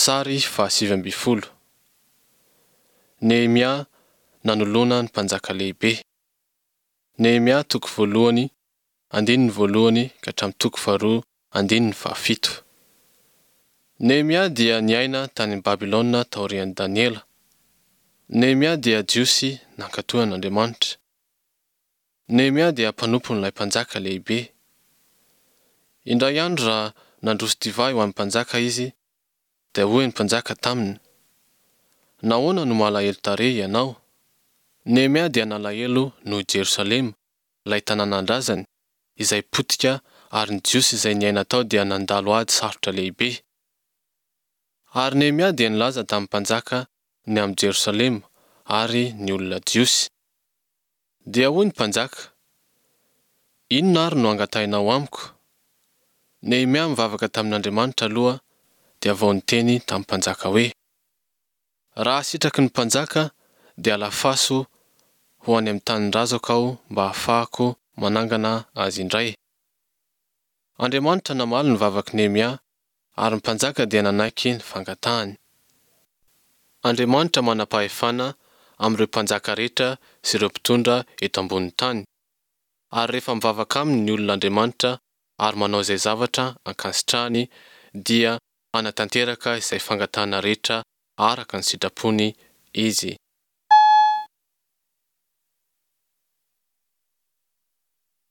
Sary faha-19. Nehemia nanoloana ny mpanjaka lehibe. Nehemia toko voalohany andininy voalohany ka hatramin'ny toko faharoa andininy fahafito. Nehemia dia niaina tany Babylona taorian'i Daniela. Nehemia dia Jiosy nankatò an'Andriamanitra. Nehemia dia mpanompon'ilay mpanjaka lehibe. Indray andro raha nandroso divay ho an'ny mpanjaka izy, dia hoy ny mpanjaka taminy, Nahoana no malahelo tarehy ianao? Nehemia dia nalahelo noho i Jerosalema, ilay tanànan-drazany, izay potika ary ny Jiosy izay niaina tao dia nandalo ady sarotra lehibe. Ary Nehemia dia nilaza tamin'ny mpanjaka ny amin'i Jerosalema ary ny olona Jiosy. Dia hoy ny mpanjaka, Inona ary no angatahinao amiko? Nehemia mivavaka tamin'Andriamanitra aloha dia vao niteny tamin'ny mpanjaka hoe, Raha sitraky ny mpanjaka dia alafaso ho any amin'ny tanindrazako aho mba hahafahako manangana azy indray. Andriamanitra namaly ny vavak'i Nehemia ary ny mpanjaka dia nanaiky ny fangatahany. Andriamanitra manam-pahefana amin'ireo mpanjaka rehetra sy ireo mpitondra eto ambonin'ny tany. Ary rehefa mivavaka aminy ny olona Andriamanitra ary manao izay zavatra ankasitrahany dia hanatanteraka izay fangatahana rehetra araka ny sitrapony Izy.